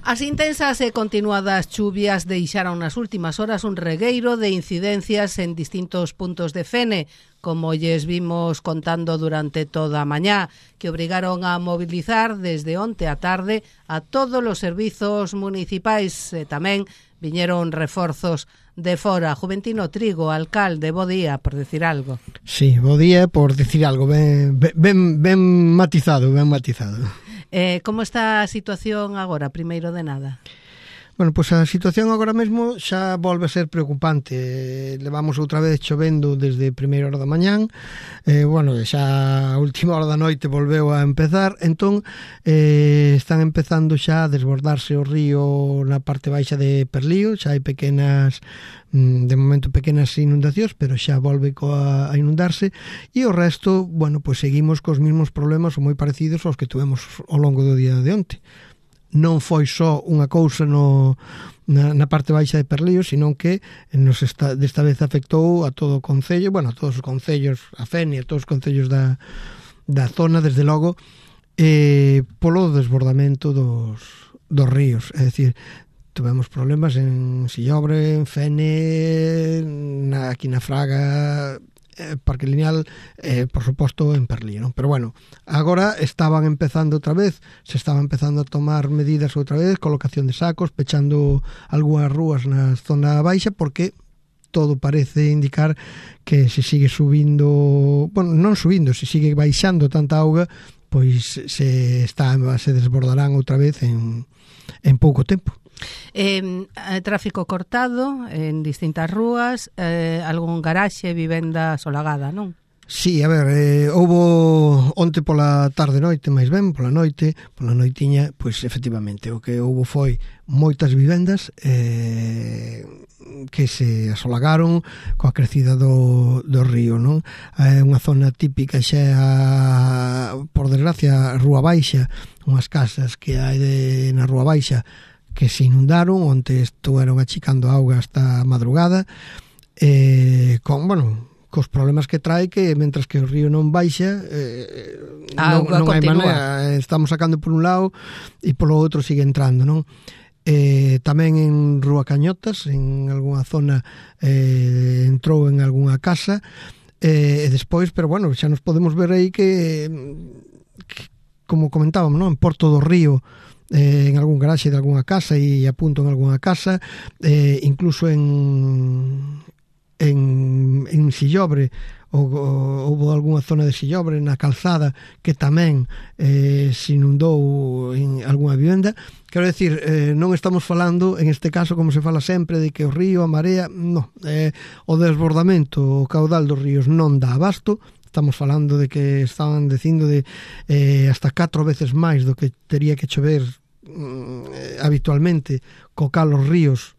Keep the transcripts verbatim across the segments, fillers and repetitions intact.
As intensas e continuadas chuvias deixaron nas últimas horas un regueiro de incidencias en distintos puntos de Fene, como lles vimos contando durante toda a mañá, que obrigaron a mobilizar desde onte a tarde a todos os servizos municipais e tamén viñeron reforzos de fora. Juventino Trigo, alcalde, bo día, por decir algo. Sí, bo día, por decir algo, ben, ben, ben matizado, ben matizado. Eh, como está a situación agora, primeiro de nada? Bueno, pois a situación agora mesmo xa volve a ser preocupante. Levamos outra vez chovendo desde primeira hora da mañán, eh, bueno, xa a última hora da noite volveu a empezar, entón eh, están empezando xa a desbordarse o río na parte baixa de Perlío, xa hai pequenas, de momento pequenas inundacións, pero xa volve a inundarse, e o resto, bueno, pois seguimos cos mesmos problemas ou moi parecidos aos que tuvemos ao longo do día de onte. Non foi só unha cousa no, na, na parte baixa de Perlío, sino que nos está, desta vez afectou a todo o concello, bueno, a todos os concellos, a Fene, a todos os concellos da, da zona, desde logo, eh, polo desbordamento dos, dos ríos. É dicir, tivemos problemas en Sillobre, en Fene, na, aquí na Fraga, Parque Lineal, eh, por suposto en Perlío, non? Pero bueno, agora estaban empezando outra vez, se estaban empezando a tomar medidas outra vez, colocación de sacos, pechando algunhas rúas na zona baixa, porque todo parece indicar que se sigue subindo, bueno, non subindo, se sigue baixando tanta auga, pois se está se desbordarán outra vez en, en pouco tempo. Eh, tráfico cortado en distintas rúas, eh, algún garaxe, vivenda solagada, non? Sí, a ver, eh, houbo onte pola tarde noite, máis ben, pola noite, pola noitiña, pois efectivamente, o que houbo foi moitas vivendas eh, que se asolagaron coa crecida do, do río, non? É unha zona típica xa, por desgracia, Rúa Baixa, unhas casas que hai de, na Rúa Baixa que se inundaron, onde estuveron achicando auga hasta a madrugada, eh, con, bueno, cos problemas que trae, que mentras que o río non baixa, eh, non, non hai maneira, estamos sacando por un lado e polo outro sigue entrando, non? Eh, tamén en Rúa Cañotas, en algunha zona eh, entrou en algunha casa, eh, e despois, pero bueno, xa nos podemos ver aí que, que como comentábamos, non? En Porto do Río, Eh, en algún garaxe de algunha casa e a punto en algunha casa, eh, incluso en en, en Sillobre houve algunha zona de Sillobre na calzada que tamén eh, se inundou en algunha vivenda. Quero decir, eh, non estamos falando en este caso, como se fala sempre, de que o río, a marea, non, eh, o desbordamento, o caudal dos ríos non dá abasto. Estamos falando de que estaban dicindo de eh, hasta catro veces máis do que tería que chover mm, habitualmente, co cal os ríos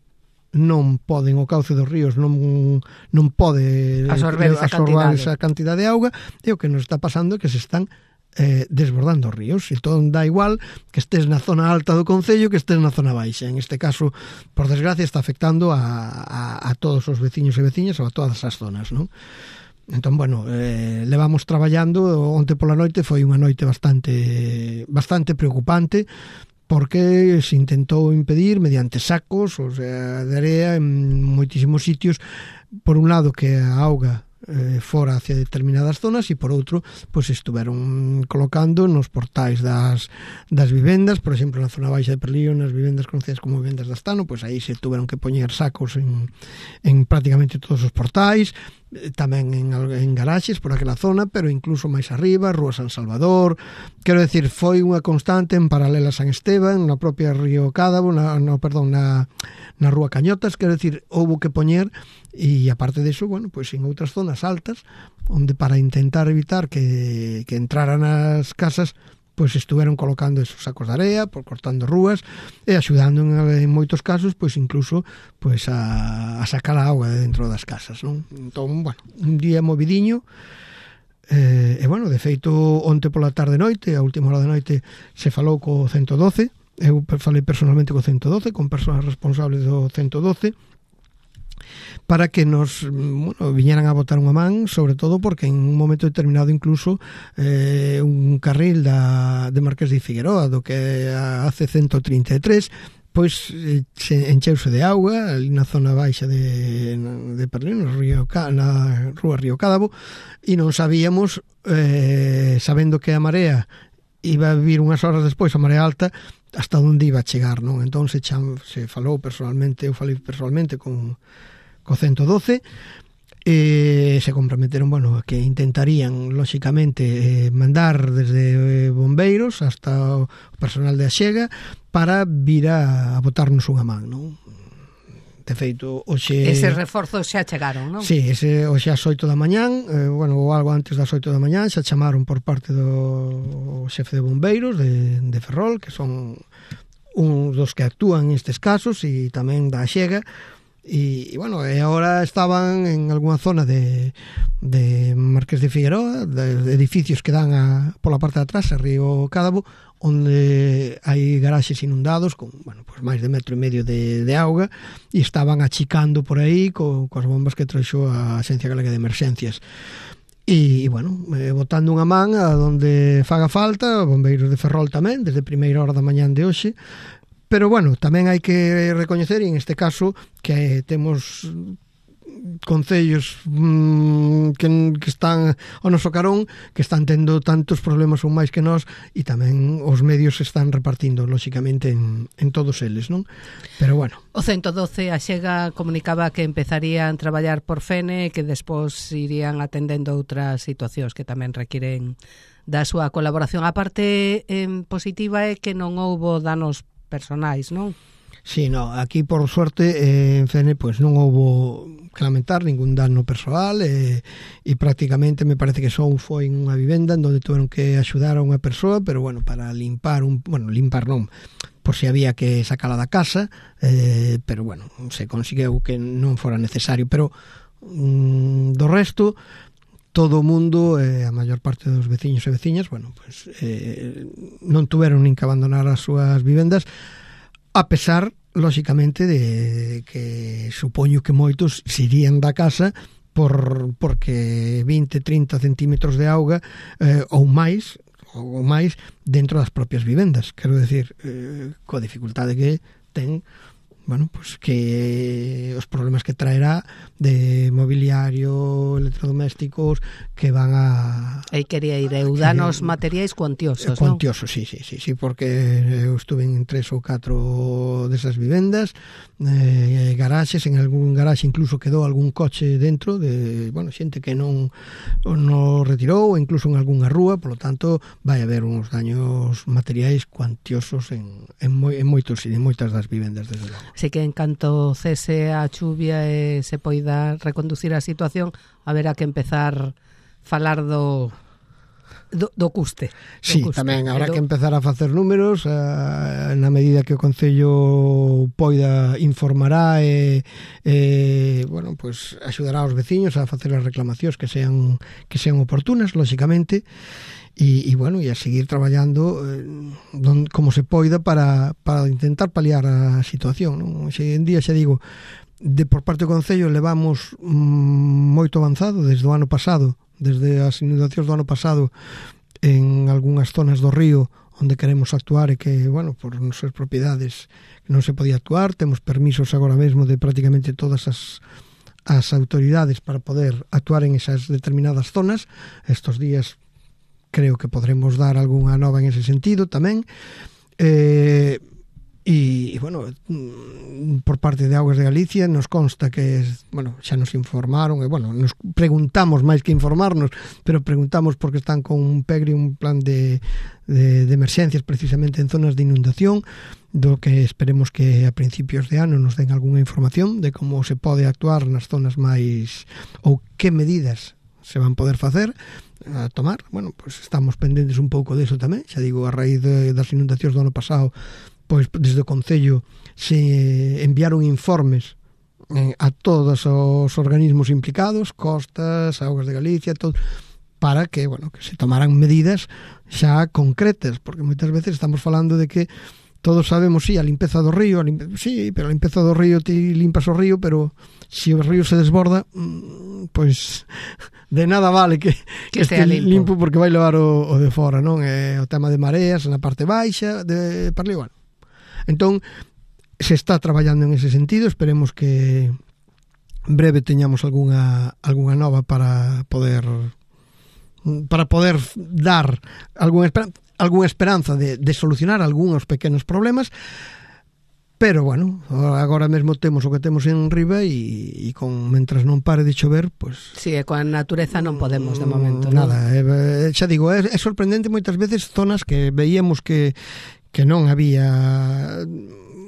non poden, o cauce dos ríos non, non pode absorber esa, absorber cantidade. esa cantidade de auga, e o que nos está pasando é que se están eh, desbordando os ríos. Entón dá igual que estés na zona alta do concello que estés na zona baixa. En este caso, por desgracia, está afectando a, a, a todos os veciños e veciñas ou a todas as zonas, non? Entón, bueno, eh, levamos traballando, onte pola noite foi unha noite bastante bastante preocupante, porque se intentou impedir mediante sacos, o sea, de area en moitísimos sitios, por un lado que a auga eh, fora hacia determinadas zonas, e por outro, pois estuveron colocando nos portais das, das vivendas, por exemplo, na zona baixa de Perlío, nas vivendas conocidas como vivendas de Astano, pois aí se tuveron que poñer sacos en, en prácticamente todos os portais, tamén en, en garaxes por aquela zona, pero incluso máis arriba, Rúa San Salvador. Quero decir, foi unha constante en paralela a San Esteban, na propia Río Cádabo, na, no, perdón, na, na Rúa Cañotas. Quero decir, houve que poñer, e aparte disso, bueno, pois en outras zonas altas, onde para intentar evitar que, que entraran as casas, pois estuveron colocando esos sacos de area, por cortando rúas, e axudando en, en moitos casos, pois incluso pois a, a sacar a auga de dentro das casas, non? Entón, bueno, un día movidiño, eh, e bueno, de feito, onte pola tarde noite, a última hora da noite, se falou co ciento doce, eu falei personalmente co ciento doce, con persoas responsables do ciento doce, para que nos bueno, viñeran a botar unha man, sobre todo porque en un momento determinado incluso eh, un carril da, de Marqués de Figueroa, do que a C ciento trinta e tres, pois eh, se encheuse de auga ali na zona baixa de, de Perlín, no río, na rúa Río Cádabo, e non sabíamos, eh, sabendo que a marea iba a vir unhas horas despois, a marea alta, hasta onde iba a chegar, non? Entón se, cham, se falou personalmente, eu falei personalmente con co ciento doce, e se comprometeron, bueno, que intentarían lóxicamente eh, mandar desde eh, bombeiros hasta o personal de Axega para vir a, a botarnos unha man, non? De feito, hoxe... Ese reforzos xa chegaron, non? Sí, ese, hoxe ás oito da mañán, eh, bueno, ou algo antes das oito da mañán, xa chamaron por parte do xefe de bombeiros de, de Ferrol, que son uns dos que actúan nestes casos, e tamén da Axega. E, e bueno, e agora estaban en algunha zona de, de Marqués de Figueroa, de, de edificios que dan a, pola parte de atrás, a Río Cádabo, onde hai garaxes inundados con, bueno, pues máis de metro e medio de, de auga, e estaban achicando por aí co, coas bombas que trouxo a Axencia Galega de Emerxencias. E, e bueno, eh, botando unha man a donde faga falta, bombeiros de Ferrol tamén, desde primeira hora da mañán de hoxe. Pero, bueno, tamén hai que recoñecer, e en este caso, que temos concellos mmm, que, que están ao noso carón, que están tendo tantos problemas ou máis que nós, e tamén os medios se están repartindo, lóxicamente, en, en todos eles, non? Pero, bueno. O ciento doce, a Xega comunicaba que empezarían a traballar por Fene, que despois irían atendendo outras situacións que tamén requiren da súa colaboración. A parte eh, positiva é que non houbo danos personais, non? Sí, no, aquí por suerte eh, en Fene pues non houbo que lamentar ningún dano persoal e, e prácticamente me parece que só foi en unha vivenda en donde tuveron que axudar a unha persoa, pero bueno, para limpar un, bueno, limpar non, por si había que sacala da casa, eh, pero bueno, se conseguiu que non fora necesario, pero mm, do resto todo o mundo, eh, a maior parte dos veciños e veciñas, bueno, pues eh, non tuveron nin que abandonar as súas vivendas, a pesar, lóxicamente, de que supoño que moitos se irían da casa por porque vinte, trinta centímetros de auga eh, ou máis, ou máis dentro das propias vivendas. Quero decir, eh, coa dificultade que ten, bueno, pues que os problemas que traerá de mobiliario, electrodomésticos que van a... Aí quería ir, eu danos materiais cuantiosos, non? Cuantiosos, sí, sí, sí, sí, porque eu estuve en tres ou catro desas vivendas, eh, garaxes, en algún garaxe incluso quedou algún coche dentro de, bueno, xente que non non retirou, ou incluso en algunha rúa, polo tanto, vai haber uns daños materiais cuantiosos en, en, moi, en moitos en moitas das vivendas, desde logo. Así que en canto cese a chuvia e se poida reconducir a situación, haberá que empezar falar do do, do custe. Sí, do custe. Tamén habrá do... que empezar a facer números a, na medida que o Concello poida informará e, e bueno, pues axudará aos veciños a facer as reclamacións que sean que sean oportunas, lóxicamente. E, e bueno, e a seguir traballando eh, don, como se poida para, para intentar paliar a situación, non? Xe en día xa digo, de por parte do Concello levamos mm, moito avanzado desde o ano pasado, desde as inundacións do ano pasado en algunhas zonas do río onde queremos actuar e que, bueno, por nosas propiedades non se podía actuar, temos permisos agora mesmo de prácticamente todas as as autoridades para poder actuar en esas determinadas zonas. Estos días creo que podremos dar algunha nova en ese sentido tamén. Eh, e, e, bueno, por parte de Augas de Galicia nos consta que, bueno, xa nos informaron, e, bueno, nos preguntamos máis que informarnos, pero preguntamos porque están con un P E G R I, un plan de, de, de emerxencias precisamente en zonas de inundación, do que esperemos que a principios de ano nos den algunha información de como se pode actuar nas zonas máis, ou que medidas se van poder facer a tomar. Bueno, pues estamos pendentes un pouco deso tamén, xa digo, a raíz de, das inundacións do ano pasado, pois desde o Concello se enviaron informes eh, a todos os organismos implicados, Costas, Augas de Galicia, todo, para que, bueno, que se tomaran medidas xa concretas, porque moitas veces estamos falando de que todos sabemos, sí, a limpeza do río, a limpe... sí, pero a limpeza do río ti limpas o río, pero se o río se desborda, pois de nada vale que, que, que este limpo. limpo porque vai levar o, o de fora, non? É o tema de mareas na parte baixa, de para ali, bueno. Entón, se está traballando en ese sentido, esperemos que en breve teñamos algunha algunha nova para poder para poder dar algunha esperanza, algunha esperanza de, de solucionar algúns pequenos problemas. Pero, bueno, agora mesmo temos o que temos en riba e, e con mentras non pare de chover, pois... Si, e coa natureza non podemos de momento, nada, non? É, xa digo, é, é sorprendente moitas veces zonas que veíamos que, que non había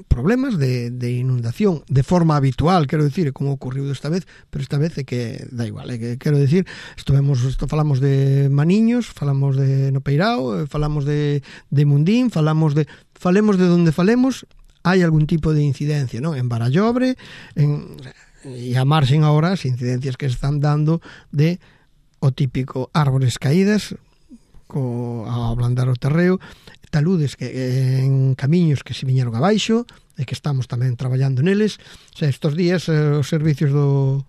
problemas de, de inundación de forma habitual, quero dicir, como ocorriu desta vez, pero esta vez é que da igual, é que quero dicir, estuvemos, esto, falamos de Maniños, falamos de Nopeirao, falamos de, de Mundín, falamos de... Falemos de donde falemos, hai algún tipo de incidencia, non? En Barallobre, en, e a marxen agora as incidencias que están dando de o típico árbores caídas co, a ablandar o terreo, taludes que en camiños que se viñeron abaixo e que estamos tamén traballando neles. O sea, estos días eh, os servicios do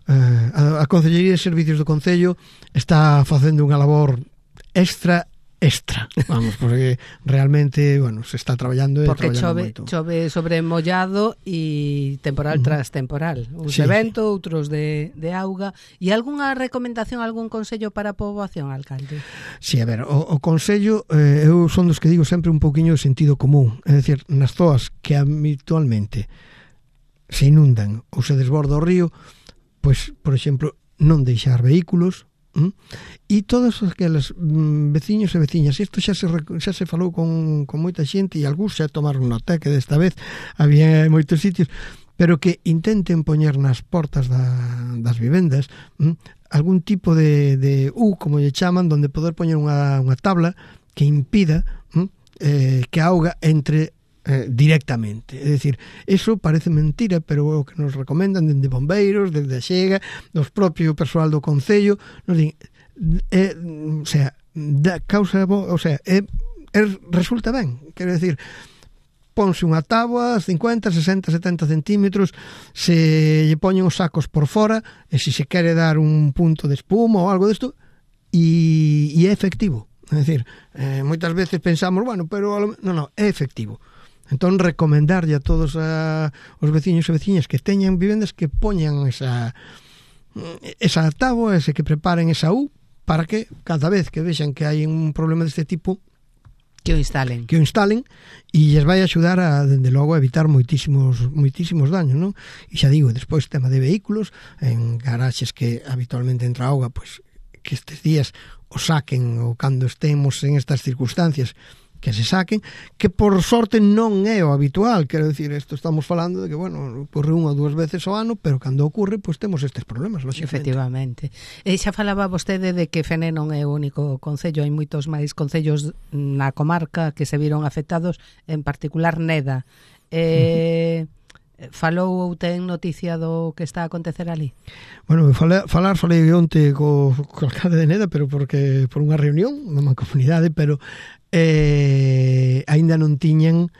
eh, a, a Concellería de Servicios do Concello está facendo unha labor extra extra, vamos, porque realmente, bueno, se está traballando e porque traballando chove, chove sobre mollado e temporal uh-huh. tras temporal, uns sí. de vento, outros de, de auga. E algunha recomendación, algún consello para a poboación, alcalde? Sí, a ver, o, o consello eh, eu son dos que digo sempre un pouquiño de sentido común, é dicir, nas zoas que habitualmente se inundan ou se desborda o río, pois, por exemplo, non deixar vehículos. ¿Mm? E todos aqueles mm, veciños e veciñas, isto xa se, xa se falou con, con moita xente e algúns xa tomaron nota, que desta vez había moitos sitios, pero que intenten poñer nas portas da, das vivendas ¿mm? algún tipo de, de U, como lle chaman, donde poder poñer unha, unha tabla que impida ¿mm? eh, que a auga entre Eh, directamente, é dicir, eso parece mentira, pero o que nos recomendan dende bombeiros, desde a Xega, dos propio persoal do Concello, nos din, eh, o sea, da causa, o sea, é, é, resulta ben, quero dicir, ponse unha táboa, cincuenta, sesenta, setenta centímetros, se lle poñen os sacos por fora, e se se quere dar un punto de espuma ou algo desto, e, e é efectivo, é dicir, eh, moitas veces pensamos, bueno, pero non, non, é efectivo. Entón, recomendarlle a todos a, os veciños e veciñas que teñan vivendas que poñan esa esa táboa, ese que preparen esa U, para que cada vez que vexan que hai un problema deste tipo que o instalen. Que o instalen e lles vai axudar a, dende logo, a evitar moitísimos moitísimos daños, non? E xa digo, despois tema de vehículos, en garaxes que habitualmente entra auga, pois que estes días o saquen ou cando estemos en estas circunstancias que se saquen, que por sorte non é o habitual, quero dicir, isto estamos falando de que, bueno, ocorre unha ou dúas veces ao ano, pero cando ocorre, pois temos estes problemas, lógicamente. Efectivamente. E xa falaba vostede de que Fene non é o único concello, hai moitos máis concellos na comarca que se viron afectados, en particular Neda. Eh... Uh-huh. Falou ou ten noticia do que está a acontecer ali? Bueno, falar, falar falei onte co, co alcalde de Neda, pero porque por unha reunión na mancomunidade, pero eh, aínda non tiñan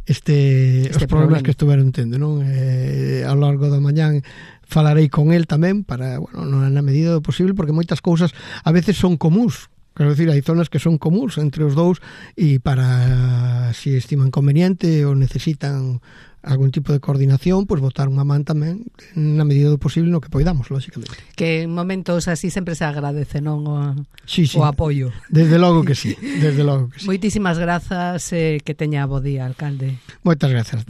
este, este os problemas problema. que estuveron tendo, non? Eh, ao largo da mañán falarei con el tamén para, bueno, na medida do posible, porque moitas cousas a veces son comuns. Quero dicir, hai zonas que son comuns entre os dous e para, se si estiman conveniente ou necesitan algún tipo de coordinación, pois pues, botar unha man tamén na medida do posible no que poidamos, lógicamente. Que en momentos así sempre se agradece, non? O, sí, sí. o apoio. Desde logo que sí, desde logo que sí. Moitísimas grazas, eh, que teña bo día, alcalde. Moitas grazas.